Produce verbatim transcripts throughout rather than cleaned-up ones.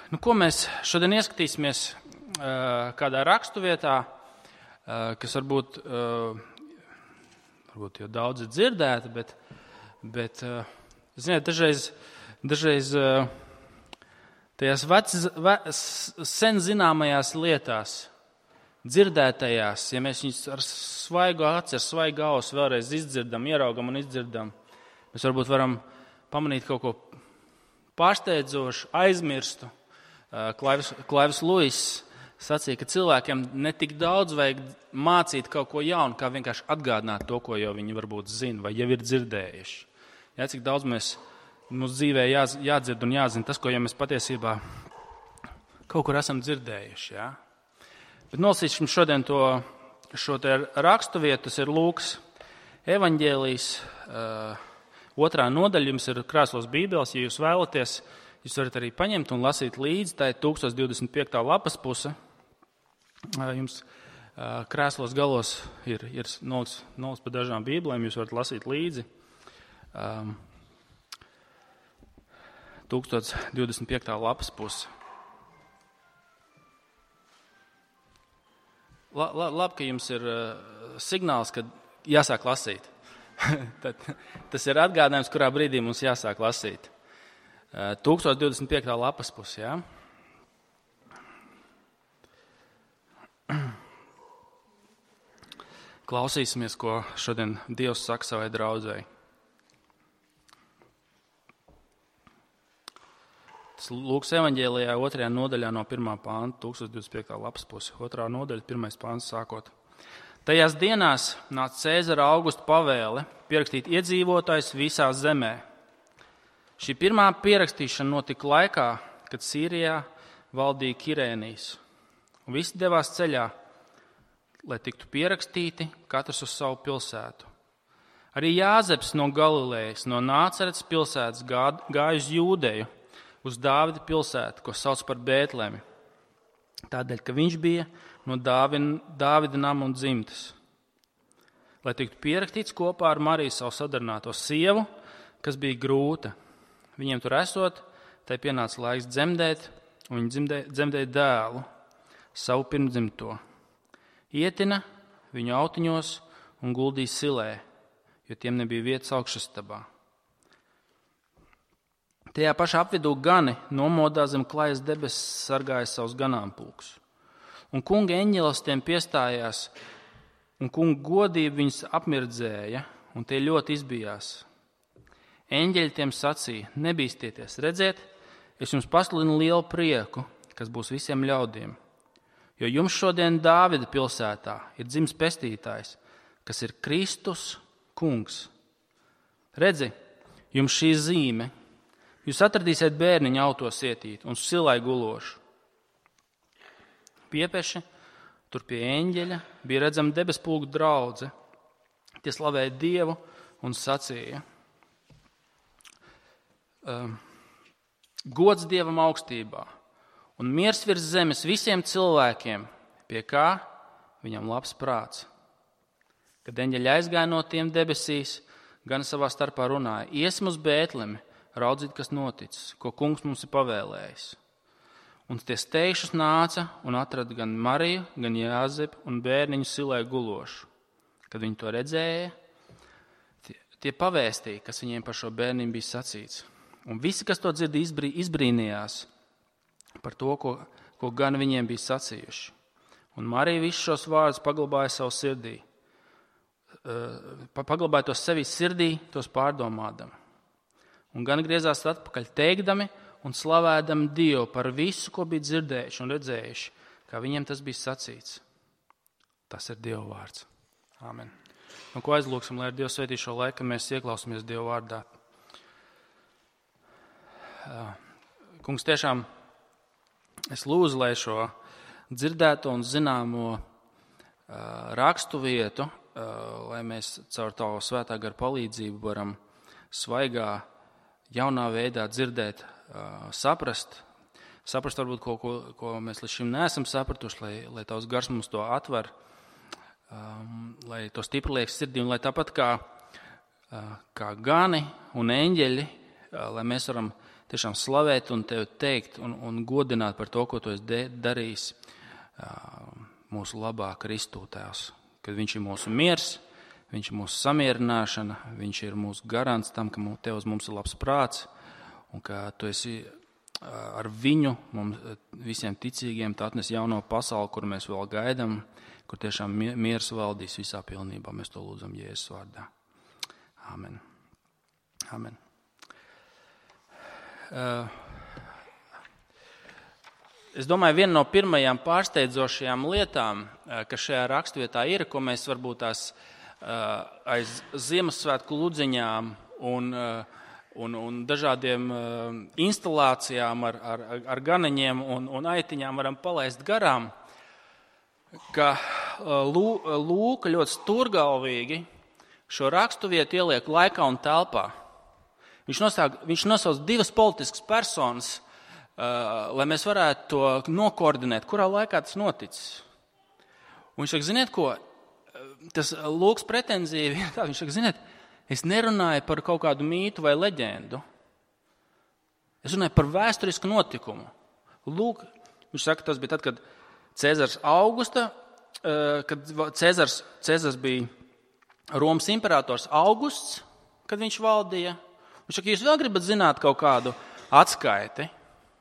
Nu, ko mēs šodien ieskatīsimies uh, kādā rakstuvietā, uh, kas varbūt, uh, varbūt jau daudz ir dzirdēta, bet, bet uh, ziniet, dažreiz, dažreiz uh, tajās vec, ve, sen zināmajās lietās, dzirdētajās, ja mēs viņus ar svaigu aci, ar svaigu ausu vēlreiz izdzirdam, ieraugam un izdzirdam, mēs varbūt varam pamanīt kaut ko pārsteidzošu, aizmirstu. Klaivis, Klaivis Luis sacīja, ka cilvēkiem ne tik daudz vajag mācīt kaut ko jaunu, kā vienkārši atgādināt to, ko jau viņi varbūt zina vai jau ir dzirdējuši. Jā, cik daudz mēs, mums dzīvē jā, jādzird un jāzina tas, ko jau mēs patiesībā kaut kur esam dzirdējuši. Jā. Bet nolasīsim šodien to, šo te rakstu vietu, tas ir Lūkas evaņģēlijs, uh, otrā nodaļa, jums ir krēslos bībeles, ja jūs vēlaties. Jūs varat arī paņemt un lasīt līdzi, tā ir tūkstoš divdesmit piekta lapas puse. Jums krēslos galos ir, ir nolas, nolas pa dažām bībelēm, jūs varat lasīt līdzi. tūkstoš divdesmit piekta lapas puse. La, la, labi, ka jums ir signāls, ka jāsāk lasīt. Tad, tas ir atgādinājums, kurā brīdī mums jāsāk lasīt. tūkstoš divdesmit piekta lapas pusi, jā. Klausīsimies, ko šodien Dievs saka savai draudzei. Tas Lūkas evaņģēlijā otrajā nodaļā no pirmā pānta, tūkstoš divdesmit piekta lapas pusi, otrā nodaļa, pirmais pāns sākot. Tajās dienās nāca Cēzara Augusta pavēle pierakstīt iedzīvotājus visā zemē. Šī pirmā pierakstīšana notika laikā, kad Sīrijā valdīja Kirēnijs. Un visi devās ceļā, lai tiktu pierakstīti katrs uz savu pilsētu. Arī Jāzeps no Galilejas, no Nāceretes pilsētas gāja uz Jūdeju, uz Dāvida pilsētu, ko sauc par Bētlemi. Tādēļ, ka viņš bija no Dāvida nama un dzimtes. Lai tiktu pierakstīts kopā ar Mariju savu sadarināto sievu, kas bija grūta. Viņiem tur esot, tai pienāca laiks dzemdēt, un viņi dzemdē, dzemdēja dēlu, savu pirmdzimto. Ietina viņu autiņos un guldīja silē, jo tiem nebija vietas augšastabā. Tajā pašā apvidū gani nomodā zem klajas debesis sargāja savus ganāmpulkus. Un kunga eņģelis tiem piestājās, un kunga godība viņus apmirdzēja, un tie ļoti izbijās. Eņģeļi tiem sacīja, nebīstieties, redziet, es jums pasludinu lielu prieku, kas būs visiem ļaudīm. Jo jums šodien Dāvida pilsētā ir dzimis pestītājs, kas ir Kristus kungs. Redzi, jums šī zīme, jūs atradīsiet bērniņu autos ietīt un silai gulošu. Piepeši, tur pie eņģeļa bija redzama debespulku draudze. Tie slavēja Dievu un sacīja. Uh, gods Dievam augstībā un miers virs zemes visiem cilvēkiem, pie kā viņam labs prāts. Kad eņģeļi aizgāja no tiem debesīs, gan savā starpā runāja, iesim uz Bētlemi, raudzīt, kas noticis, ko kungs mums ir pavēlējis. Un tie steišus nāca un atrada gan Mariju, gan Jāzepu un bērniņu silē gulošu. Kad viņi to redzēja, tie, tie pavēstīja, kas viņiem par šo bērniņu bija sacīts. Un visi, kas to dzird, izbrī, izbrīnījās par to, ko, ko gan viņiem bija sacījuši. Un Marija visus šos vārdus paglabāja savu sirdī. Paglabāja tos sevī sirdī, tos pārdomādami. Un gan griezās atpakaļ teikdami un slavēdami Dievu par visu, ko bija dzirdējuši un redzējuši, kā viņiem tas bija sacīts. Tas ir Dieva vārds. Āmen. Un ko aizlūksim, lai ar Dievu svētī šo laiku, mēs ieklausamies Dieva vārdā. Kungs, tiešām es lūdzu, lai šo dzirdēto un zināmo rakstu vietu, lai mēs caur tavu svētā gara palīdzību varam svaigā, jaunā veidā dzirdēt, saprast, saprast varbūt ko, ko, ko mēs līdz šim neesam sapratuši, lai, lai tavs gars mums to atver, lai to stipri liek sirdī un lai tāpat kā, kā gani un eņģeļi, lai mēs varam tiešām slavēt un tevi teikt un, un godināt par to, ko tu esi darījis mūsu labā Kristū, Tēvs. Kad viņš ir mūsu miers, viņš ir mūsu samierināšana, viņš ir mūsu garants tam, ka tev uz mums ir labs prāts un ka tu esi ar viņu, mums visiem ticīgiem, tu atnes jauno pasauli, kur mēs vēl gaidām, kur tiešām miers valdīs visā pilnībā. Mēs to lūdzam Jēzus vārdā. Amen. Amen. Uh, es domāju, viena no pirmajām pārsteidzošajām lietām, kas šajā rakstvietā ir, ko mēs varbūt tās uh, aiz Ziemassvētku ludziņām un, uh, un, un dažādiem uh, instalācijām ar, ar, ar ganeņiem un, un aitiņām varam palaist garām, ka uh, Lūka ļoti stūrgalvīgi šo raksturvietu ieliek laikā un telpā. Viņš, nosāk, viņš nosauc divas politiskas personas, uh, lai mēs varētu to nokoordinēt, kurā laikā tas noticis. Un viņš saka, ziniet ko, tas Lūks pretenzija ir tā, viņš saka, ziniet, es nerunāju par kaut kādu mītu vai leģendu. Es runāju par vēsturisku notikumu. Lūk, viņš saka, tas bija tad, kad Cēzars Augusta, uh, kad Cēzars, Cēzars bija Romas imperators Augusts, kad viņš valdīja. Viņš saka, jūs vēl gribat zināt kaut kādu atskaiti?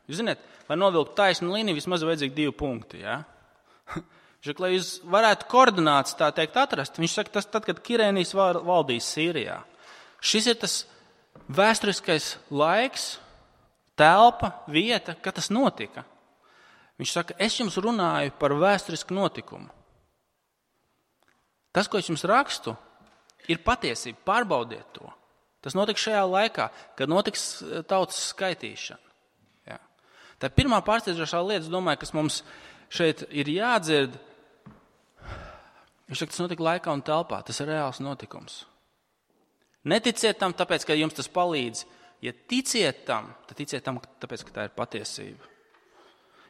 Jūs zināt, lai novilktu taisnu līniju, vismaz vajadzīgi divi punkti. Ja? Viņš saka, lai jūs varētu koordināts tā teikt atrast. Viņš saka, tas tad, kad Kirēnijas valdīja Sīrijā. Šis ir tas vēsturiskais laiks, telpa, vieta, kad tas notika. Viņš saka, es jums runāju par vēsturisku notikumu. Tas, ko es jums rakstu, ir patiesība. Pārbaudiet to. Tas notiks šajā laikā, kad notiks tautas skaitīšana. Jā. Tā pirmā pārsteidzošā lieta, es domāju, kas mums šeit ir jādzird, viņš saka, tas notika laikā un telpā. Tas ir reāls notikums. Neticiet tam, tāpēc, ka jums tas palīdz. Ja ticiet tam, tad ticiet tam, tāpēc, ka tā ir patiesība.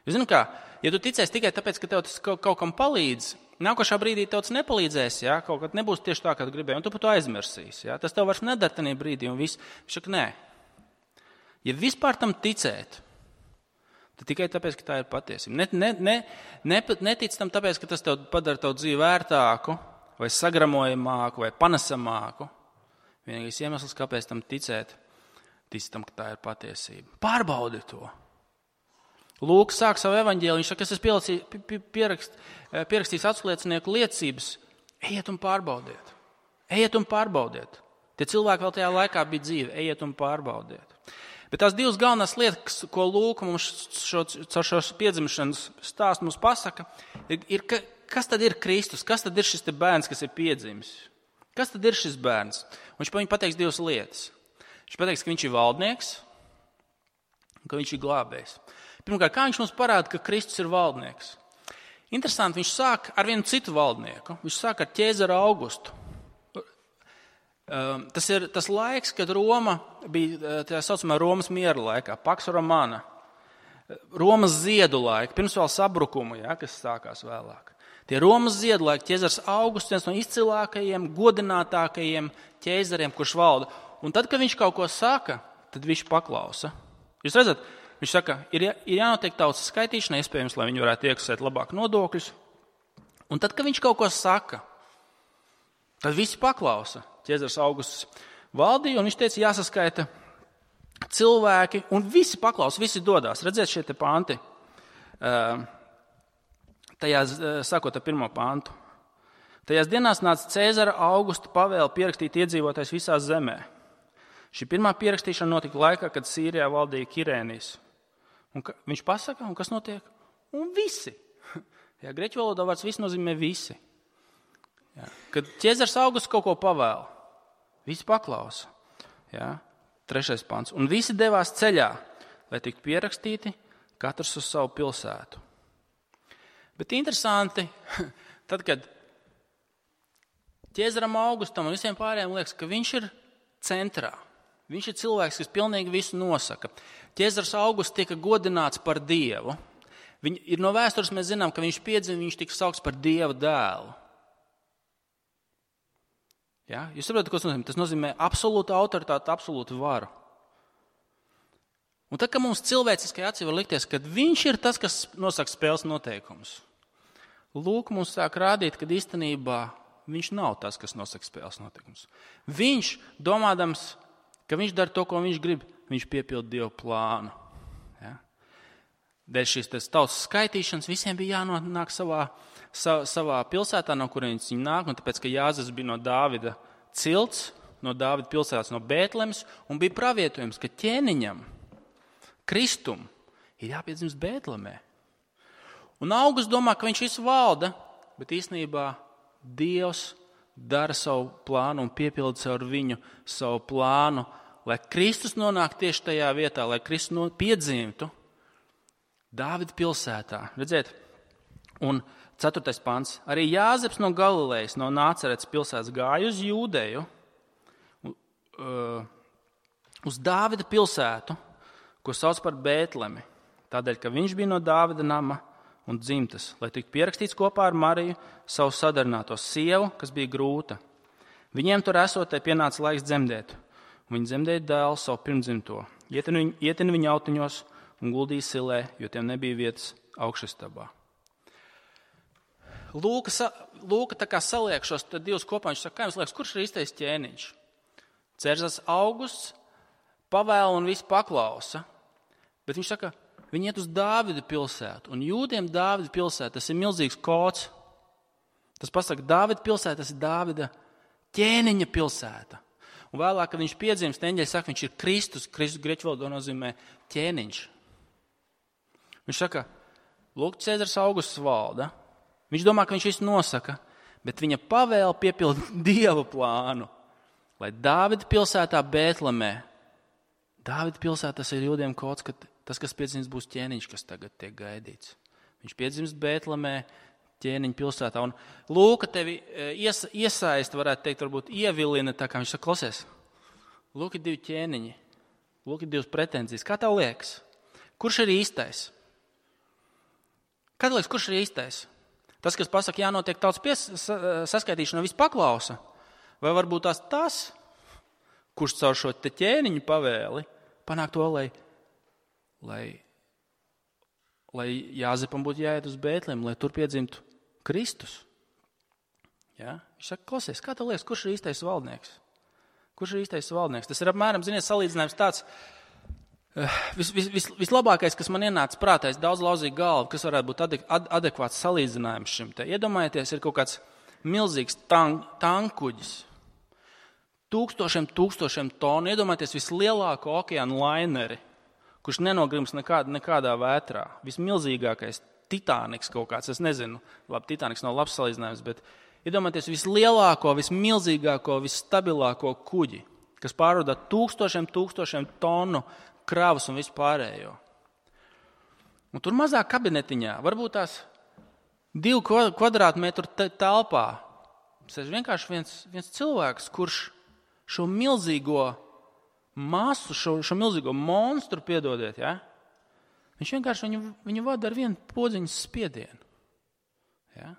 Jūs zināt kā, ja tu ticēsi tikai tāpēc, ka tev tas kaut, kaut kam palīdz, nākošā brīdī tev tas nepalīdzēs, ja? Kaut kad nebūs tieši tā, kā tu gribēji, un tu par to aizmirsīsi. Ja? Tas tev vairs nedara tajā brīdī, un viss. Viņš saka, nē. Ja vispār tam ticēt, tad tikai tāpēc, ka tā ir patiesība. Ne, ne, ne, ne, netic tam tāpēc, ka tas tev padara tavu dzīvi vērtāku, vai sagramojamāku, vai panesamāku. Vienīgais iemesls, kāpēc tam ticēt, tic tam, ka tā ir patiesība. Pārbaudi to. Lūks sāk savu evaņģēliju, viņš saka, es esmu pierakst, pierakstījis atsliecinieku liecības. Ejiet un pārbaudiet. Ejiet un pārbaudiet. Tie cilvēki vēl tajā laikā bija dzīvi. Ejiet un pārbaudiet. Bet tās divas galvenās lietas, ko Lūka mums šo, caur šo piedzimšanas stāstu mums pasaka, ir, ir, kas tad ir Kristus? Kas tad ir šis te bērns, kas ir piedzimis? Kas tad ir šis bērns? Un viņš viņam pateiks divas lietas. Viņš pateiks, ka viņš ir valdnieks un ka viņš ir glābējs. Pirmkārt, kā viņš mums parāda, ka Kristus ir valdnieks? Interesanti, viņš sāk ar vienu citu valdnieku. Viņš sāk ar Ķēzaru Augustu. Tas ir tas laiks, kad Roma bija tā saucamā Romas miera laikā, Pax Romana. Romas ziedu laika, pirms vēl sabrukuma, ja, kas sākās vēlāk. Tie Romas ziedu laiki, Ķēzars Augusts, viens no izcilākajiem, godinātākajiem ķēzariem, kurš valda. Un tad, kad viņš kaut ko saka, tad viņš paklausa. Jūs redzat, viņš saka, ir, ir jānotiek tautas skaitīšana, iespējams, lai viņi varētu iekasēt labāk nodokļus. Un tad, kad viņš kaut ko saka, tad visi paklausa. Ķēzars Augusts valdīja, un viņš teica, jāsaskaita cilvēki, un visi paklausa, visi dodās. Redziet šie te panti, tajās, sākot ar pirmo pantu. Tajās dienās nāca Cēzara Augusta pavēle pierakstīt iedzīvotājs visā zemē. Šī pirmā pierakstīšana notika laikā, kad Sīrijā valdīja Kirēnijas. Un ka, viņš pasaka, un kas notiek? Un visi. Jā, greķu valodā vārds visi nozīmē visi. Jā. Kad Ķēzars Augusts kaut ko pavēla, visi paklausa. Jā. Trešais pants. Un visi devās ceļā, lai tiktu pierakstīti, katrs uz savu pilsētu. Bet interesanti, tad, kad Ķēzaram Augustam un visiem pārējiem liekas, ka viņš ir centrā. Viņš ir cilvēks, kas pilnīgi visu nosaka. Ķēzars Augusts tika godināts par Dievu. Viņ, ir no vēstures mēs zinām, ka viņš piedzima, viņš tika saukts par Dieva dēlu. Ja? Jūs saprotat, ko tas nozīmē? Tas nozīmē absolūtu autoritāti, absolūtu varu. Un tad, kad mums cilvēciskai acī var likties, ka viņš ir tas, kas nosaka spēles noteikumus, Lūk, mums sāk rādīt, ka īstenībā viņš nav tas, kas nosaka spēles noteikumus. Viņš, domādams, ka viņš dara to, ko viņš grib, viņš piepilda Dieva plānu. Ja? Dēļ šīs tautas skaitīšanas visiem bija jānonāk savā, sa, savā pilsētā, no kurienes viņi nāk, un tāpēc, ka Jāzeps bija no Dāvida cilts, no Dāvida pilsētas, no Bētlemes, un bija pravietojums, ka ķēniņam, Kristum, ir jāpiedzimst Bētlemē. Un Augusts domā, ka viņš visu valda, bet īstenībā Dievs dara savu plānu un piepilda caur viņu savu plānu, lai Kristus nonāk tieši tajā vietā, lai Kristus no, piedzimtu Dāvida pilsētā. Redziet, un ceturtais pants. Arī Jāzeps no Galilejas, no Nāceretes pilsētas gāja uz Jūdeju, uz Dāvida pilsētu, ko sauc par Bētlemi, tādēļ, ka viņš bija no Dāvida nama un dzimtas, lai tiktu pierakstīts kopā ar Mariju, savu sadarināto sievu, kas bija grūta. Viņiem tur esotē pienāca laiks dzemdēt, un viņi dzemdēja dēlu savu pirmdzimto, ietina viņu, ietina viņu autiņos un guldīja silē, jo tiem nebija vietas augšastabā. Lūka, Lūka tā kā saliek šos divus kopā, viņš saka, kā jums liekas, kurš ir īstais ķēniņš? Cēzars Augusts pavēla un visu paklausa, bet viņš saka, viņi iet uz Dāvida pilsētu, un jūdiem Dāvida pilsēta, tas ir milzīgs kods. Tas pasaka, Dāvida pilsēta, tas ir Dāvida ķēniņa pilsēta. Un vēlāk, kad viņš piedzimst, eņģeļi saka, viņš ir Kristus, Kristus grieķu valodā nozīmē ķēniņš. Viņš saka, lūk, Cēzars Augusts valda, viņš domā, ka viņš visu nosaka, bet viņa pavēla piepilda Dieva plānu, lai Dāvida pilsētā Bētlemē, Dāvida pilsēta, tas ir jūdiem kods, ka tas, kas piedzimst, būs ķēniņš, kas tagad tiek gaidīts. Viņš piedzimst Bētlemē, ķēniņa pilsētā. Un Lūka tevi ies, iesaista, varētu teikt, varbūt ievilina, tā kā viņš saka, klausies, lūk ir divi ķēniņi, lūk ir divas pretenzijas. Kā tev liekas? Kurš ir īstais? Kā tev liekas, kurš ir īstais? Tas, kas pasaka, jānotiek tautas pies, saskaitīšana, viss paklausa? Vai varbūt tās tas, kurš caur šo te ķēniņu pavēli panāk to, lai Lai, lai Jāzepam būtu jāiet uz Bētlemi, lai tur piedzimtu Kristus. Ja? Viņš saka, klausies, kā tev liekas, kurš ir īstais valdnieks? Kurš ir īstais valdnieks? Tas ir apmēram, ziniet, salīdzinājums tāds, vis, vis, vis, vislabākais, kas man ienāca prātā, es daudz lauzīju galvu, kas varētu būt adek, ad, adekvāts salīdzinājums šim te. Iedomājieties, ir kaut kāds milzīgs tank, tankuģis, tūkstošiem, tūkstošiem tonu, iedomājieties vislielāko okeānu laineri, kurš nenogrims nekādā, nekādā vētrā. Vismilzīgākais Titaniks kaut kāds, es nezinu, labi, Titaniks nav labs salīdzinājums, bet iedomājieties vislielāko, vismilzīgāko, visstabilāko kuģi, kas pārvadā tūkstošiem, tūkstošiem tonu kravas un visu pārējo. Un tur mazā kabinetiņā, varbūt tās divu kvadrātmetru telpā, sēž vienkārši viens, viens cilvēks, kurš šo milzīgo masu, šo, šo milzīgo monstru, piedodiet, ja? Viņš vienkārši viņu, viņu vada ar vienu podziņas spiedienu. Ja?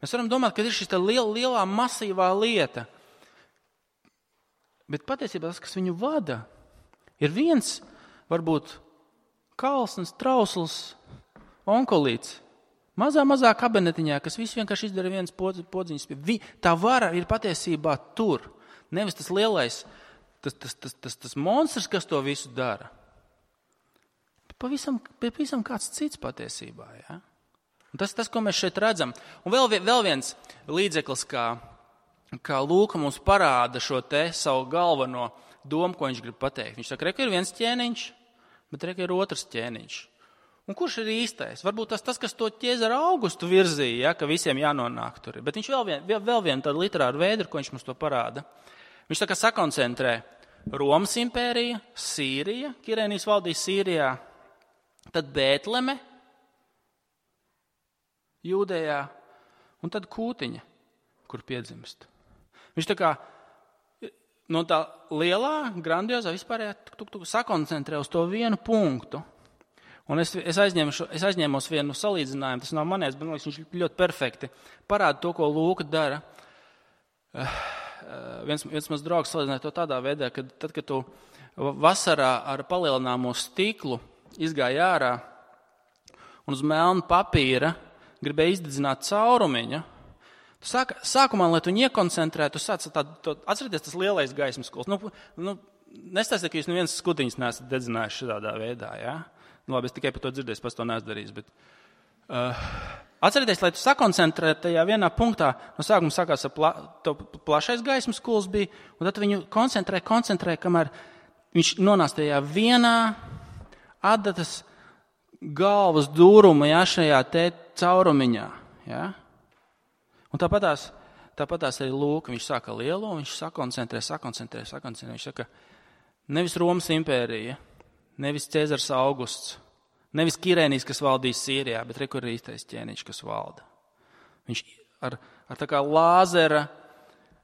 Mēs varam domāt, ka ir šis liel, lielā masīvā lieta, bet patiesībā tas, kas viņu vada, ir viens, varbūt, kalsns, trausls, onkolīts, mazā, mazā kabinetiņā, kas visu vienkārši izdara viens podziņas spiedienu. Tā vara ir patiesībā tur, nevis tas lielais, Tas, tas, tas, tas, tas monstrs, kas to visu dara, pavisam, pavisam kāds cits patiesībā. Ja? Un tas, tas, ko mēs šeit redzam. Un vēl, vēl viens līdzeklis, kā, kā Lūka mums parāda šo te savu galveno domu, ko viņš grib pateikt. Viņš saka, reka ir viens ķēniņš, bet reka ir otrs ķēniņš. Un kurš ir īstais? Varbūt tas, tas kas to Ķēzaru Augustu virzīja, ja, ka visiem jānonāk tur. Bet viņš vēl vienu vēl, vēl vien tādu literāru veidu, ko viņš mums to parāda. Viņš tā kā sakoncentrē Romas impērija, Sīrija, Kirēnijas valdīja Sīrijā, tad Bētleme, Jūdejā, un tad Kūtiņa, kur piedzimst. Viņš tā kā no tā lielā, grandiozā vispārējā tuk, tuk, sakoncentrē uz to vienu punktu. Un es, es, aizņemu, es aizņēmos vienu salīdzinājumu, tas nav manējs, bet viņš ļoti perfekti parāda to, ko Lūka dara. Uh, Viens, viens mans draugs salīdzināja to tādā veidā, ka tad, kad tu vasarā ar palielināmo stiklu izgāja ārā un uz melna papīra gribēja izdedzināt caurumiņu. Sāk, sākumā, lai tu iekoncentrētu, tu sāc tādu, atcerieties tas lielais gaismas skols. Nu, nu, nestāstiet, ka jūs neviens skutiņas neesat dedzinājuši šādā veidā, jā? Nu, labi, es tikai par to dzirdēju, pats to neesmu darījis, bet uh, atcerieties, lai tu sakoncentrētu tajā vienā punktā, no sākuma sākās ar pla, to plašais gaismas skols bija, un tad viņu koncentrē, koncentrē, kamēr viņš nonāca tajā vienā adatas galvas dūruma, jā, šajā te caurumiņā, jā? Un tāpatās, tāpatās arī lūk, viņš sāka lielo, viņš sakoncentrē, sakoncentrē, sakoncentrē. Viņš saka, nevis Romas impērija, nevis Cēzars Augusts, nevis Kirēnijs, kas valdīs Sīrijā, bet re, kur ir īstais ķēniņš, kas valda. Viņš ar, ar tā kā lāzera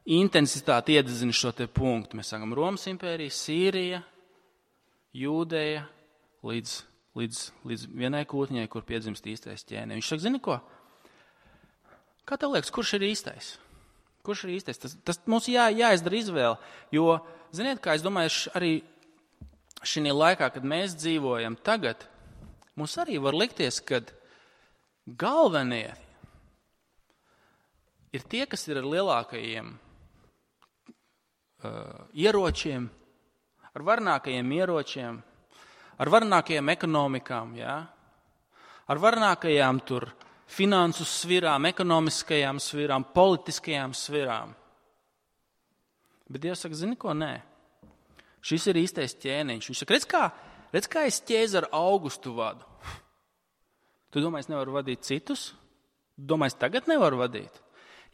intensitāti iededzina šo te punktu. Mēs sākam Romas impērija, Sīrija, Jūdeja, līdz, līdz, līdz vienai kūtņai, kur piedzimst īstais ķēniņš. Viņš saka, zini ko? Kā tev liekas, kurš ir īstais? Kurš ir īstais? Tas, tas mums jā, jāizdara izvēle, jo, ziniet, kā es domāju, arī šī laikā, kad mēs dzīvojam tagad, mums arī var likties, ka galvenie ir tie, kas ir ar lielākajiem uh, ieročiem, ar varnākajiem ieročiem, ar varnākajiem ekonomikām, jā? Ar varnākajām tur finansu svirām, ekonomiskajām svirām, politiskajām svirām. Bet Dievs saka, zini ko, nē. Šis ir īstais ķēniņš. Viņš saka, redz kā, redz kā es Cēzaru Augustu vadu. Tu domā, es nevaru vadīt citus? Tu domā, es tagad nevaru vadīt?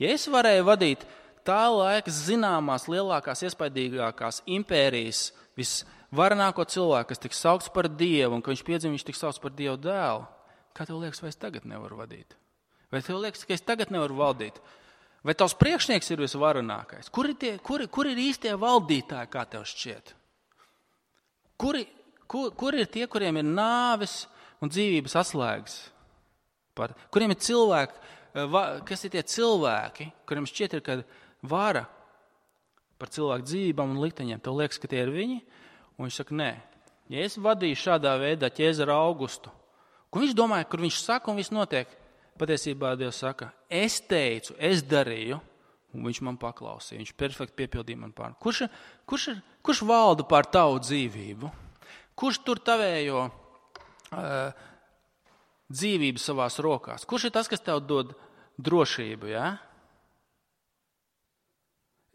Ja es varēju vadīt tā laika zināmās, lielākās, iespaidīgākās impērijas, visvarenāko cilvēku, kas tiks saukts par Dievu, un ka viņš piedzim, viņš tiks saukts par Dievu dēlu, kā tev liekas, vai es tagad nevaru vadīt? Vai tev liekas, ka es tagad nevaru valdīt? Vai tavs priekšnieks ir visvarenākais? Kur ir, tie, kur, kur ir īstie valdītāji, kā tev šķiet? Kuri, kur, kur ir tie, kuriem ir nāves un dzīvības atslēgas? Par, kuriem ir cilvēki, kas ir tie cilvēki, kuriem šķiet ir, kad vara par cilvēku dzīvībām un likteņiem? Tev liekas, ka tie ir viņi? Un viņš saka, nē. Ja es vadīju šādā veidā Cēzaru Augustu, ko viņš domāja, kur viņš saka un viss notiek? Patiesībā Dievs saka, es teicu, es darīju, un viņš man paklausīja. Viņš perfekti piepildīja man pār. Kurš, kurš, kurš valda pār tavu dzīvību? Kurš tur tavējo uh, dzīvību savās rokās? Kurš ir tas, kas tev dod drošību, jā?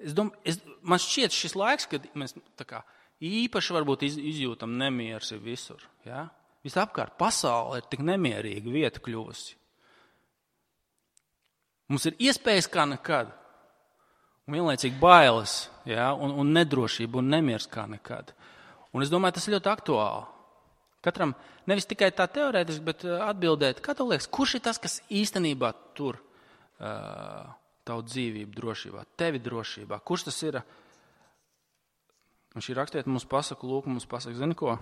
Es dom, es, man šķiet šis laiks, kad mēs tā kā īpaši varbūt iz, izjūtam nemieris ir visur, jā? Visapkārt pasaule ir tik nemierīga vieta kļuvusi. Mums ir iespējas kā nekad, un vienlaicīgi bailes, ja, un, un nedrošība un nemiers kā nekad. Un es domāju, tas ir ļoti aktuāli. Katram nevis tikai tā teorētiski, bet atbildēt, kā tev liekas, kurš ir tas, kas īstenībā tur uh, tavu dzīvību drošībā, tevi drošībā? Kurš tas ir? Un šī rakstiet mums pasaka, lūk, mums pasaka, zini ko?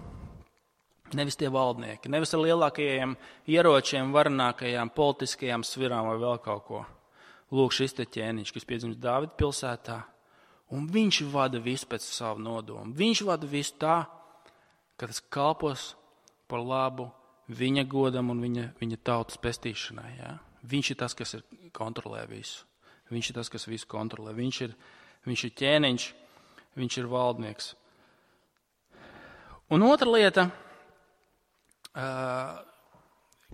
Nevis tie valdnieki, nevis ar lielākajiem ieročiem, varnākajām politiskajām svirām vai vēl kaut ko. Lūk, šis te ķēniņš, kas piedzimst Dāvida pilsētā, un viņš vada visu pēc savu nodomu. Viņš vada visu tā, ka tas kalpos par labu viņa godam un viņa, viņa tautas pestīšanai. Ja? Viņš ir tas, kas ir, kontrolē visu. Viņš ir tas, kas visu kontrolē. Viņš ir, viņš ir ķēniņš, viņš ir valdnieks. Un otra lieta, Uh,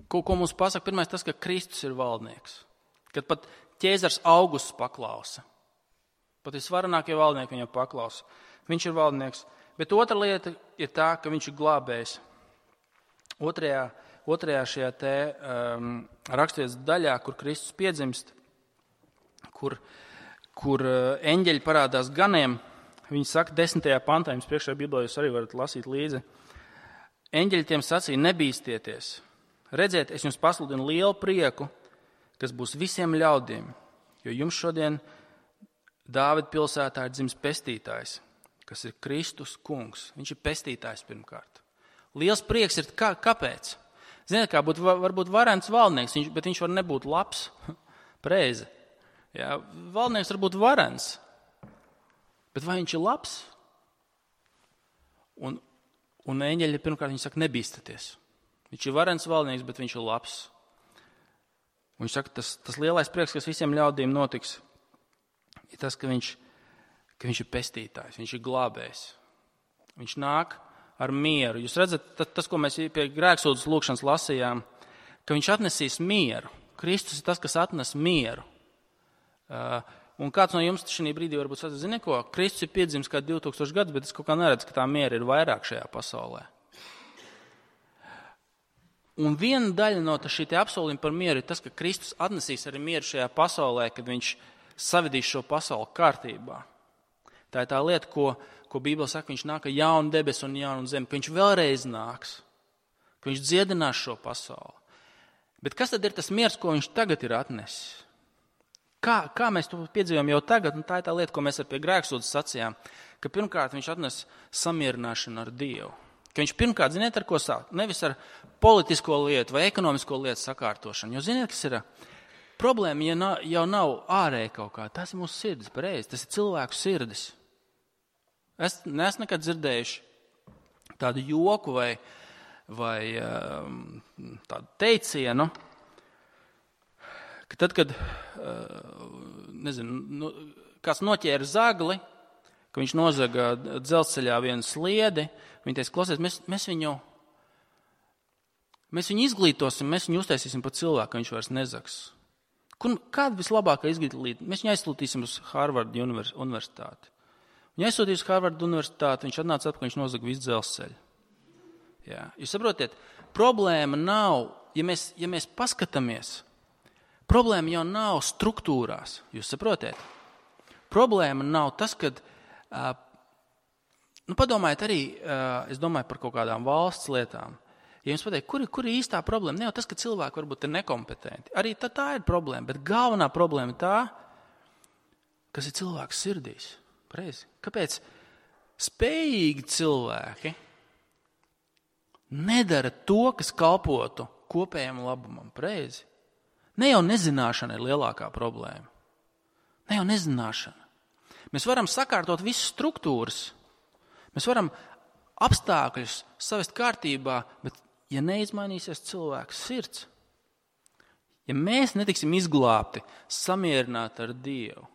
ko, ko mums pasaka, pirmais tas, ka Kristus ir valdnieks. Kad pat Cēzars Augusts paklausa. Pat visvarenākie valdnieki viņam paklausa. Viņš ir valdnieks. Bet otra lieta ir tā, ka viņš ir glābējs. Otrajā, otrajā šajā te um, raksturvietas daļā, kur Kristus piedzimst, kur, kur uh, eņģeļi parādās ganiem, viņi saka desmitajā pantā, jums priekšā Bībelē jūs arī varat lasīt līdzi. Eņģeļi tiem sacīja, nebīsties. Redziet, es jums pasludinu lielu prieku, kas būs visiem ļaudīm, jo jums šodien Dāvida pilsētā ir dzimis pestītājs, kas ir Kristus kungs. Viņš ir pestītājs pirmkārt. Liels prieks ir, kā, kāpēc? Ziniet, kā būt, varbūt varens valdnieks, viņš, bet viņš var nebūt labs, preize. Jā, valdnieks var būt varens, bet vai viņš ir labs? Un, un eņģeļi pirmkārt viņi saka, nebīstaties. Viņš ir varens valdnieks, bet viņš ir labs. Un viņš saka, tas, tas lielais prieks, kas visiem ļaudīm notiks, ir tas, ka viņš, ka viņš ir pestītājs, viņš ir glābējs. Viņš nāk ar mieru. Jūs redzat, tas, ko mēs pie grēksūdzes lūkšanas lasījām, ka viņš atnesīs mieru. Kristus ir tas, kas atnes mieru. Uh, un kāds no jums šī brīdī varbūt saka, zini ko, Kristus ir piedzimis kā divtūkstoši gadus, bet es kaut kā neredzu, ka tā miera ir vairāk šajā pasaulē. Un viena daļa no šī apsolījuma par mieru ir tas, ka Kristus atnesīs arī mieru šajā pasaulē, kad viņš savedīs šo pasauli kārtībā. Tā ir tā lieta, ko, ko Bībele saka, viņš nāk ar jaunu debesu un jaunu zemi, ka viņš vēlreiz nāks, ka viņš dziedinās šo pasauli. Bet kas tad ir tas miers, ko viņš tagad ir atnesis? Kā, kā mēs to piedzīvojam jau tagad, un tā ir tā lieta, ko mēs ar pie grēksūdzes sacījām, ka pirmkārt viņš atnes samierināšanu ar Dievu. Ka viņš pirmkārt, ziniet, ar ko sāk? Nevis ar politisko lietu vai ekonomisko lietu sakārtošanu. Jo ziniet, kas ir problēma, ja nav, jau nav ārēji kaut kā. Tas ir mūsu sirdis, pareizi. Tas ir cilvēku sirdis. Es neesmu nekad dzirdējuši tādu joku vai, vai tādu teicienu, ka tad, kad nezinu, kāds noķēra zagli, ka viņš nozaga dzelzceļā vienu sliedi, viņi teica, klausies, mēs, mēs viņu mēs viņu izglītosim, mēs viņu uztaisīsim par cilvēku, ka viņš vairs nezags. Kur, kāda vislabākā izglītība? Mēs viņu aizsūtīsim uz Harvard universitāti. Viņu aizsūtīja uz Harvard universitāti, viņš atnāca atpakaļ, viņš nozaga visu dzelzceļu. Jā. Jūs saprotiet, problēma nav, ja mēs, ja mēs paskatāmies, problēma jau nav struktūrās, jūs saprotiet? Problēma nav tas, kad, uh, nu padomājiet arī, uh, es domāju par kaut kādām valsts lietām. Ja jums pateikt, kur, kur ir īstā problēma? Ne jau tas, ka cilvēki varbūt ir nekompetenti. Arī tā, tā ir problēma, bet galvenā problēma ir tā, kas ir cilvēks sirdīs. Pareizi. Kāpēc spējīgi cilvēki nedara to, kas kalpotu kopējam labumam? Pareizi. Ne jau nezināšana ir lielākā problēma. Ne jau nezināšana. Mēs varam sakārtot visas struktūras. Mēs varam apstākļus savest kārtībā, bet ja neizmainīsies cilvēks sirds, ja mēs netiksim izglābti, samierināti ar Dievu,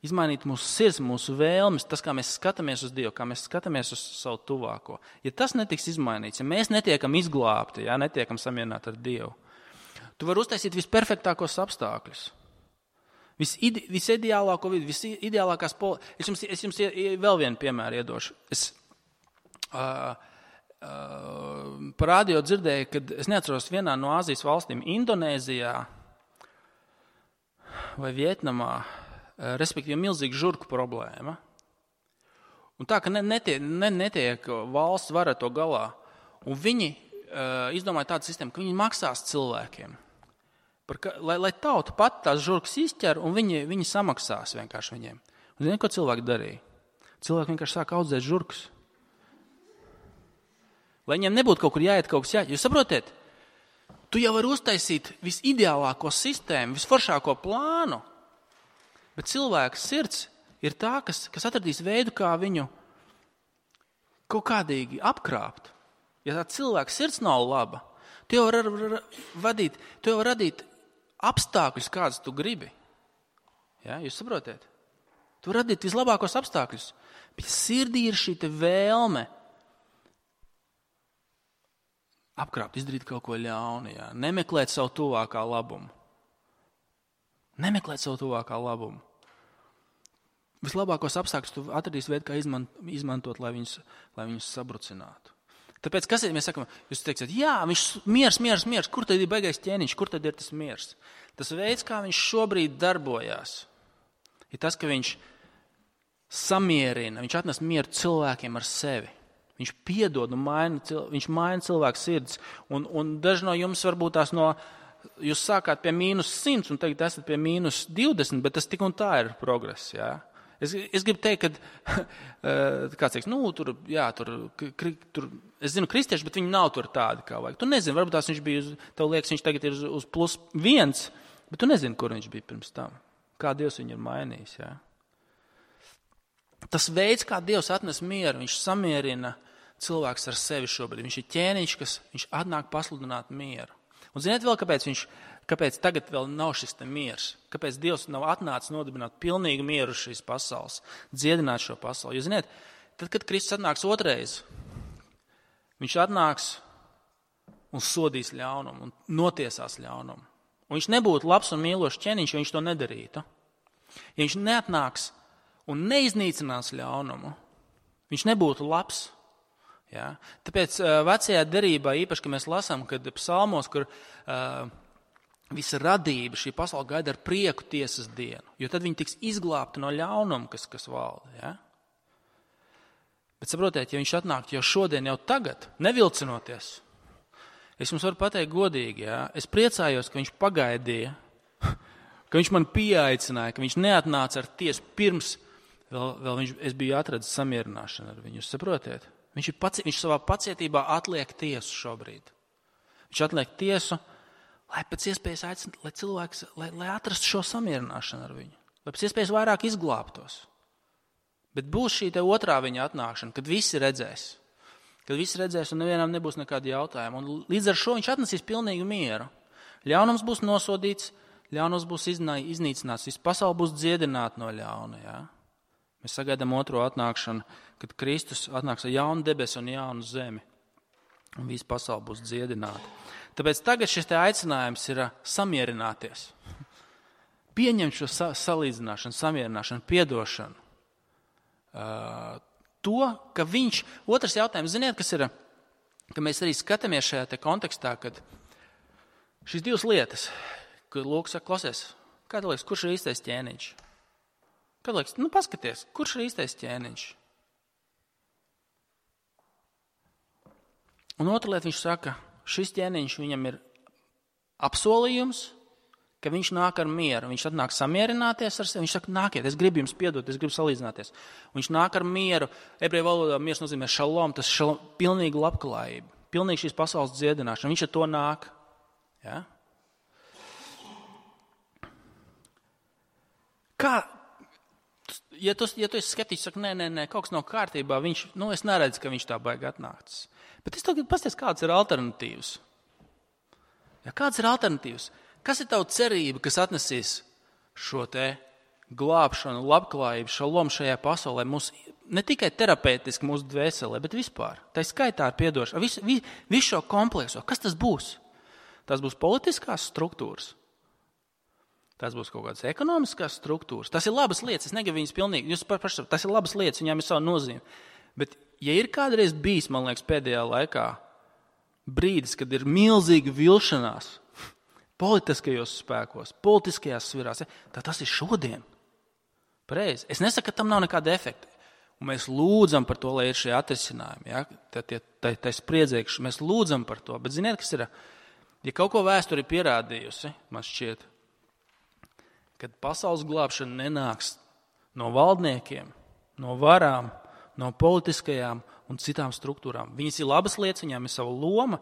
izmainīt mūsu sirds, mūsu vēlmes, tas, kā mēs skatāmies uz Dievu, kā mēs skatāmies uz savu tuvāko, ja tas netiks izmainīts, ja mēs netiekam izglābti, ja netiekam samierināti ar Dievu, tu vari uztaisīt visperfektākos apstākļus. Viside, visideālāko vidi, visideālākās poli... Es jums, es jums vēl vienu piemēru iedošu. Es uh, uh, par radio dzirdēju, kad es neatceros vienā no Āzijas valstīm, Indonēzijā vai Vietnamā, uh, respektīvi milzīga žurku problēma. Un tā, ka ne, netiek, ne, netiek valsts vara to galā. Un viņi uh, izdomāja tādu sistēmu, ka viņi maksās cilvēkiem. Par, lai, lai tauta pat tās žurkas izķer, un viņi, viņi samaksās vienkārši viņiem. Un zini, ko cilvēki darīja? Cilvēki vienkārši sāk audzēt žurkas. Lai viņiem nebūtu kaut kur jāiet, kaut kas jāiet. Jūs saprotiet? Tu jau vari uztaisīt visideālāko sistēmu, visforšāko plānu, bet cilvēka sirds ir tā, kas, kas atradīs veidu, kā viņu kaut kādīgi apkrāpt. Ja tā cilvēka sirds nav laba, tu jau var vadīt, tu jau var radīt apstākļus, kādas tu gribi. Ja, jūs saprotiet? Tu var radīt vislabākos apstākļus. Bet sirdī ir šī te vēlme apkrāpt, izdarīt kaut ko ļaunu. Ja? Nemeklēt savu tuvākā labumu. Nemeklēt savu tuvākā labumu. Vislabākos apstākļus tu atradīsi veidu, kā izmantot, lai viņus, lai viņus sabrucinātu. Tāpēc, kas ir, mēs sakam, jūs teiksiet, jā, viņš miers, miers, miers, kur tad ir baigais ķēniņš, kur tad ir tas miers? Tas veids, kā viņš šobrīd darbojās, ir tas, ka viņš samierina, viņš atnes mieru cilvēkiem ar sevi. Viņš piedod un maina, viņš maina cilvēku sirds. Un, un daži no jums varbūt tās no, jūs sākāt pie mīnus simts un tagad esat pie mīnus divdesmit, bet tas tik un tā ir progress, jā. Es, es gribu teikt, ka kāds teiks, nu, tur, jā, tur, kri, tur, es zinu kristieši, bet viņi nav tur tādi, kā vajag. Tu nezini, varbūt tās viņš bija, uz, tev liekas, viņš tagad ir uz, uz plus viens, bet tu nezini, kur viņš bija pirms tam. Kā Dievs viņu ir mainījis, jā. tas veids, kā Dievs atnes mieru, viņš samierina cilvēks ar sevi šobrīd. Viņš ir ķēniņš, kas viņš atnāk pasludināt mieru. Un ziniet vēl, kāpēc viņš, kāpēc tagad vēl nav šis te miers? Kāpēc Dievs nav atnācis nodibināt pilnīgu mieru šīs pasaules, dziedināt šo pasauli? Jo ziniet, tad, kad Kristus atnāks otrais, viņš atnāks un sodīs ļaunumu un notiesās ļaunumu. Un viņš nebūtu labs un mīlošs ķēniņš, ja viņš to nedarītu. Ja viņš neatnāks un neiznīcinās ļaunumu, viņš nebūtu labs. Ja? Tāpēc uh, vecajā derībā, īpaši, ka mēs lasām, kad psalmos, kur uh, visa radība, šī pasaule gaida ar prieku tiesas dienu, jo tad viņi tiks izglābti no ļaunuma, kas, kas valda. Ja? Bet saprotiet, ja viņš atnāk jau šodien, jau tagad, nevilcinoties, es jums varu pateikt godīgi, ja? Es priecājos, ka viņš pagaidīja, ka viņš man pieaicināja, ka viņš neatnāca ar tiesu pirms, vēl, vēl viņš, es biju atradis samierināšanu ar viņu, jūs saprotiet? Viņš, ir paci, viņš savā pacietībā atliek tiesu šobrīd. Viņš atliek tiesu, lai pēc iespējas aicinātu, lai cilvēks, lai, lai atrastu šo samierināšanu ar viņu, lai pēc iespējas vairāk izglābtos. Bet būs šī te otrā viņa atnākšana, kad visi redzēs, kad visi redzēs un nevienam nebūs nekādi jautājumi. Un līdz ar šo viņš atnesīs pilnīgu mieru. Ļaunums būs nosodīts, ļaunums būs iznīcināts, viss pasaule būs dziedināta no ļauna, jā. Mēs sagaidām otro atnākšanu, kad Kristus atnāks ar jaunu debesu un jaunu zemi. Un viss pasaule būs dziedināta. Tāpēc tagad šis te aicinājums ir samierināties. Pieņemt šo sa- salīdzināšanu, samierināšanu, piedošanu. Uh, to, ka viņš, otrs jautājums, ziniet, kas ir, ka mēs arī skatāmies šajā te kontekstā, kad šīs divas lietas, kad Lūks saka, klausies, kā tu liekas, kurš ir īstais ķēniņš? Kad liekas, nu paskaties, kurš ir īstais ķēniņš? Un otra lieta viņš saka, šis ķēniņš viņam ir apsolījums, ka viņš nāk ar mieru. Viņš atnāk samierināties ar sevi. Viņš saka, nākiet, es gribu jums piedot, es gribu salīdzināties. Un viņš nāk ar mieru. Ebreju valodā miers nozīmē šalom, tas šalom, pilnīga labklājība, pilnīgi šīs pasaules dziedināšana. Viņš ar to nāk. Ja? Kā? Ja tu, ja tu esi skeptiķis, saka, nē, nē, nē, kaut kas nav kārtībā, viņš, nu, es neredzu, ka viņš tā baigi atnāks. Bet es tagad pasties, kāds ir alternatīvs. Ja, kāds ir alternatīvs? Kas ir tava cerība, kas atnesīs šo te glābšanu, labklājību, šalom šajā pasaulē, mūs, ne tikai terapeitiski mūsu dvēselē, bet vispār. Tā ir skaitā ar piedošanu, visu, visu šo komplekso. Kas tas būs? Tas būs politiskās struktūras. Tas būs kaut kādas ekonomiskās struktūras. Tas ir labas lietas, es negribu viņas pilnīgi, jūs paši, tas ir labas lietas, viņām ir savu nozīmi. Bet, ja ir kādreiz bijis, man liekas, pēdējā laikā brīdis, kad ir milzīga vilšanās politiskajos spēkos, politiskajās svirās, tad tas ir šodien. Pareizi. Es nesaku, ka tam nav nekāda efekta. Un mēs lūdzam par to, lai ir šie atrisinājumi. Ja? Tā, tā, tā, tā spriedzēkši, mēs lūdzam par to. Bet ziniet, kas ir? Ja kaut ko vēsture ir pierādījusi, man šķiet, kad pasaules glābšana nenāks no valdniekiem, no varām, no politiskajām un citām struktūrām. Viņas ir labas lietas, viņām ir sava loma,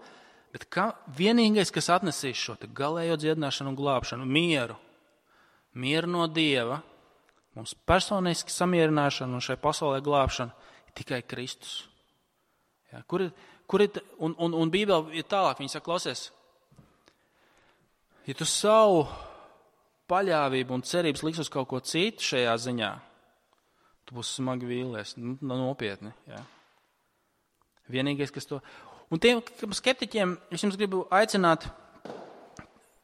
bet kā vienīgais, kas atnesīs šo te galējo dziedināšanu un glābšanu, mieru, mieru no Dieva, mums personiski samierināšana un šai pasaulē glābšana ir tikai Kristus. Ja, kur ir, kur ir, un, un, un Bībele ir tālāk, viņa saka, klausies, ja tu savu paļāvību un cerības liks uz kaut ko citu šajā ziņā, tu būsi smagi vīlies, nu, nopietni. Ja. Vienīgais, kas to... Un tiem skeptiķiem es jums gribu aicināt,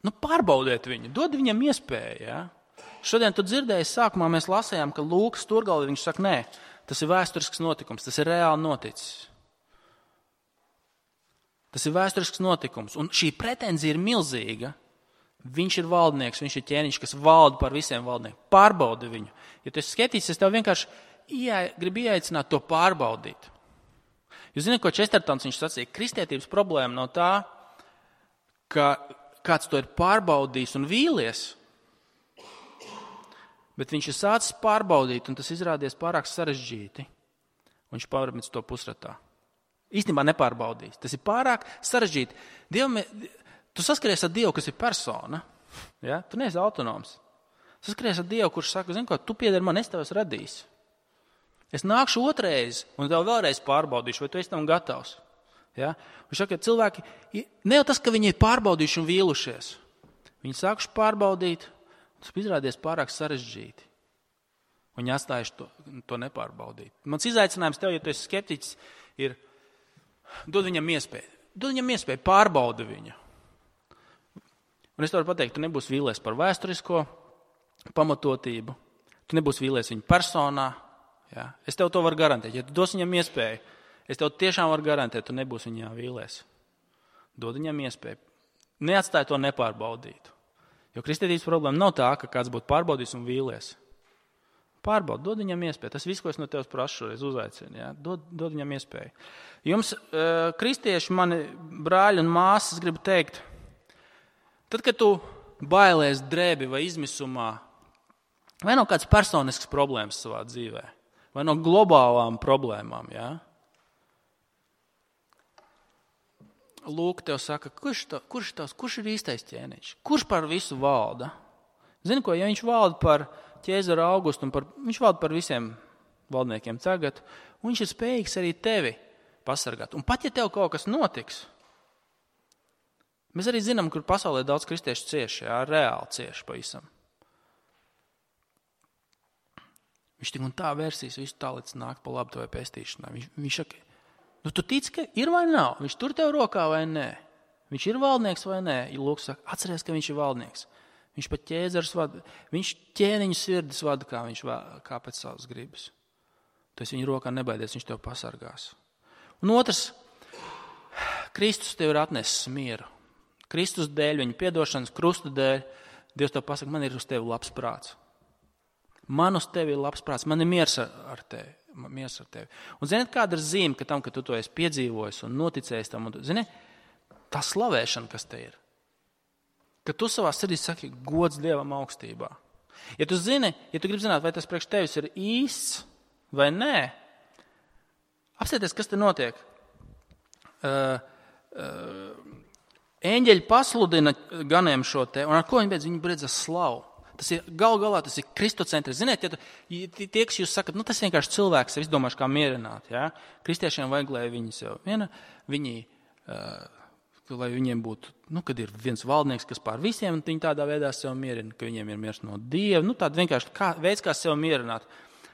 nu, pārbaudiet viņu, dod viņam iespēju. Ja. Šodien tu dzirdēji, sākumā mēs lasējām, ka Lūkas Turgalvi, viņš saka, nē, tas ir vēsturisks notikums, tas ir reāli noticis. Tas ir vēsturisks notikums, un šī pretenzija ir milzīga. Viņš ir valdnieks, viņš ir ķēniņš, kas valda par visiem valdniekiem. Pārbaudi viņu. Ja tu esi skeptiķis, es tev vienkārši iea, gribu ieaicināt to pārbaudīt. Jūs zināt, ko Čestertons viņš sacīja? Kristietības problēma nav tā, ka kāds to ir pārbaudījis un vīlies, bet viņš ir sācis pārbaudīt, un tas izrādies pārāk sarežģīti. Un viņš pārmets to pusratā. Īstenībā nepārbaudījis. Tas ir pārāk sarežģīti. Dievam, tu saskaries ar Dievu, kas ir persona. Ja? Tu neesi autonoms. Saskaries ar Dievu, kurš saka, zini ko, tu piedari man, es tev esmu radījis. Es nākšu otrais un tev vēlreiz pārbaudīšu, vai tu esi tam gatavs. Ja? Viņš saka, ka cilvēki, ne jau tas, ka viņi ir pārbaudījuši un vīlušies. Viņi sākuši pārbaudīt, tas izrādies pārāk sarežģīti. Viņi atstājuši to, to nepārbaudīt. Mans izaicinājums tev, ja tu esi skeptiķis, ir dod viņam iespēju. Dod viņam iespēju, pārbaudi viņu. Un es tev varu pateikt, tu nebūsi vīlies par vēsturisko pamatotību, tu nebūsi vīlies viņa personā. Ja? Es tev to varu garantēt. Ja tu dos viņam iespēju, es tev tiešām varu garantēt, tu nebūsi viņā vīlies. Dod viņam iespēju. Neatstāj to nepārbaudītu. Jo kristietības problēma nav tā, ka kāds būtu pārbaudījis un vīlies. Pārbaudi, dod viņam iespēju. Tas viss, ko es no tevis prašu, šoreiz uzaicinu. Ja? Dod, dod viņam iespēju. Jums, uh, kristieši, mani brāļi un māsas, gribu teikt, tad, kad tu bailēs drēbi vai izmisumā, vai no kādas personiskas problēmas savā dzīvē, vai no globālām problēmām, ja? Lūk, tev saka, kurš, to, kurš, tavs, kurš ir īstais ķēniņš? Kurš par visu valda? Zini ko, ja viņš valda par ķēzaru Augustu, un par, viņš valda par visiem valdniekiem tagad, un viņš ir spējīgs arī tevi pasargāt. Un pat, ja tev kaut kas notiks, mēs arī zinām, kur pasaulē daudz kristiešu cieši, jā, reāli cieši pavisam. Viņš tik un tā vērsīs visu tā, līdz nāk pa labu tavai pestīšanai. Viņš, viņš saka, nu tu tici, ka ir vai nav? Viņš tur tev rokā vai nē? Viņš ir valdnieks vai nē? Lūk, saka, atceries, ka viņš ir valdnieks. Viņš pat ķēzars vada, viņš ķēniņu sirdis vada, kā viņš kā pēc savas gribas. Tu esi viņa rokā nebaidies, viņš tev pasargās. Un otrs, Kristus tev ir atnesis mieru. Kristus dēļ, viņa piedošanas, krusta dēļ, Dievs tev pasaka, man ir uz tevi labs prāts. Man uz tevi ir labs prāts, man ir miers ar tevi. Miers ar tevi. Un ziniet, kāda ir zīme, ka tam, ka tu to esi piedzīvojis un noticējis tam, un, zini, tā slavēšana, kas te ir. Ka tu savā sirdī saki, gods Dievam augstībā. Ja tu zini, ja tu gribi zināt, vai tas priekš tevis ir īsts vai nē, apsieties, kas te notiek. Uh, uh, Eņģeļi pasludina ganiem šo te, un ar ko viņi beidz? Viņi beidz ar slavu. Tas ir gal galā, tas ir kristocentris. Ziniet, ja tu, tie, kas jūs sakat, nu tas vienkārši cilvēks, es domāšu, kā mierināt. Ja? Kristiešiem vajag, lai viņi sev viena, viņi, uh, lai viņiem būtu, nu, kad ir viens valdnieks, kas pār visiem, un viņi tādā veidā sev mierina, ka viņiem ir miers no Dieva. Nu, tāda vienkārši kā, veids, kā sev mierināt.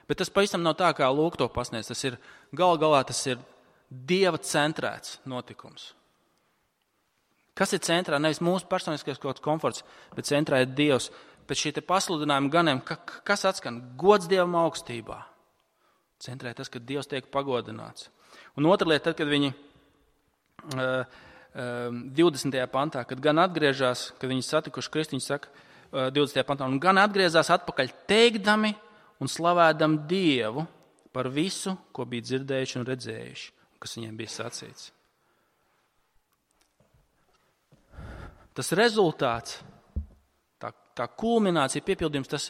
Bet tas pavisam nav tā, kā Lūk to pasniedz. Tas ir, gal galā, tas ir Dieva centrēts notikums. Kas ir centrā? Nevis mūsu personiskais kaut kāds komforts, bet centrā ir Dievs. Pēc šī te pasludinājuma ganiem, ka, kas atskan? Gods Dievam augstībā. Centrē tas, ka Dievs tiek pagodināts. Un otra lieta, tad, kad viņi uh, uh, divdesmitajā pantā, kad gan atgriežās, kad viņi satikuši Kristu, viņi saka uh, divdesmitajā pantā, un gan atgriezās atpakaļ teikdami un slavēdam Dievu par visu, ko bija dzirdējuši un redzējuši, kas viņiem bija sacīts. Tas rezultāts, tā, tā kulminācija, piepildījums, tas,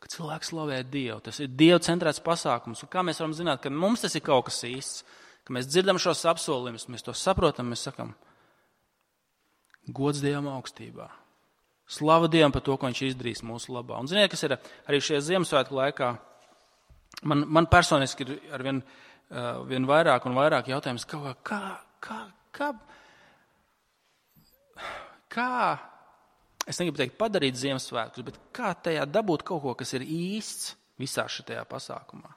ka cilvēks slavē Dievu. Tas ir Dieva centrēts pasākums. Un kā mēs varam zināt, ka mums tas ir kaut kas īsts, ka mēs dzirdam šos apsolījumus, mēs to saprotam, mēs sakam, gods Dievam augstībā. Slava Dievam par to, ko viņš izdarīs mūsu labā. Un ziniet, kas ir arī šajā Ziemassvētku laikā, man, man personiski ir arvien uh, vien vairāk un vairāk jautājums, kā, kā, kā, kā, kā, es negribu teikt padarīt Ziemassvētkus, bet kā tajā dabūt kaut ko, kas ir īsts visā šitajā pasākumā.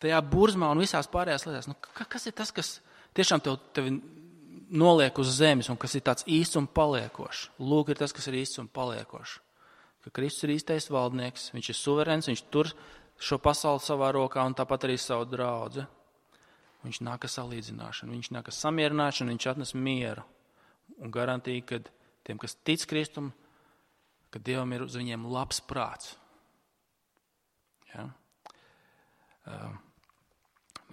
Tajā burzmā un visās pārējās lietās. Nu, kas ir tas, kas tiešām tev, tevi noliek uz zemes un kas ir tāds īsts un paliekošs? Lūk, ir tas, kas ir īsts un paliekošs. Ka Kristus ir īstais valdnieks, viņš ir suverēns, viņš tur šo pasauli savā rokā un tāpat arī savu draudzi. Viņš nāk ar salīdzināšanu, viņš nāk ar samierināšanu, viņš atnes mieru. Un garantīja, ka tiem, kas tic Kristum, ka Dievam ir uz viņiem labs prāts. Ja? Uh,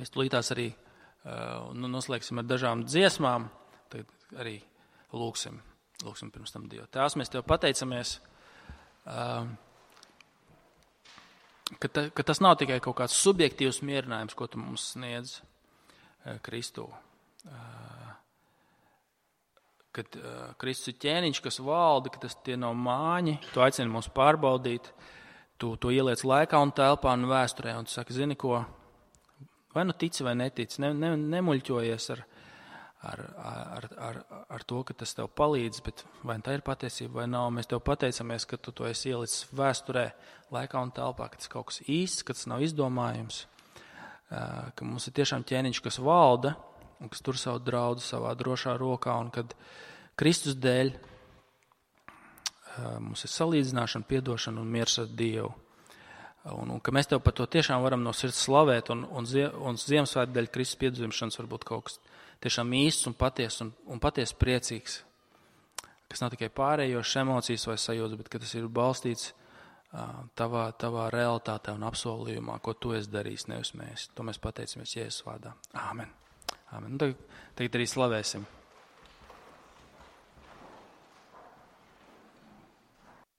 mēs tūlītās arī uh, nu, noslēgsim ar dažām dziesmām, tad arī lūksim, lūksim pirms tam Dievu. Tēvs, mēs Tev pateicamies, uh, ka, ta, ka tas nav tikai kaut kāds subjektīvs mierinājums, ko Tu mums sniedz uh, Kristū. Uh, kad uh, Kristus ir ķēniņš, kas valda, ka tas tie nav māņi, Tu aicini mūs pārbaudīt, tu to ieliec laikā un telpā un vēsturē, un tu saki, zini ko, vai nu tici vai netici, ne, ne, nemuļķojies ar, ar, ar, ar, ar to, ka tas tev palīdz, bet vai tā ir patiesība vai nav. Mēs tev pateicamies, ka tu to esi ielicis vēsturē, laikā un telpā, ka tas kaut kas īsts, ka tas nav izdomājums, ka mums ir tiešām ķēniņš, kas valda un kas tur savu draudzi savā drošā rokā, un kad Kristus dēļ mums ir salīdzināšana, piedošana un miers ar Dievu. Un, un ka mēs tev par to tiešām varam no sirds slavēt, un, un, un Ziemassvētku dēļ Kristus piedzimšanas var būt kaut kas tiešām īsts un paties un, un paties priecīgs, kas nav tikai pārējošas emocijas vai sajūtas, bet ka tas ir balstīts uh, tavā, tavā realitātē un apsolījumā, ko tu esi darījis, nevis mēs. To mēs pateicamies Jēzus vārdā. Āmen. Āmen. Un tagad, tagad arī slavēsim.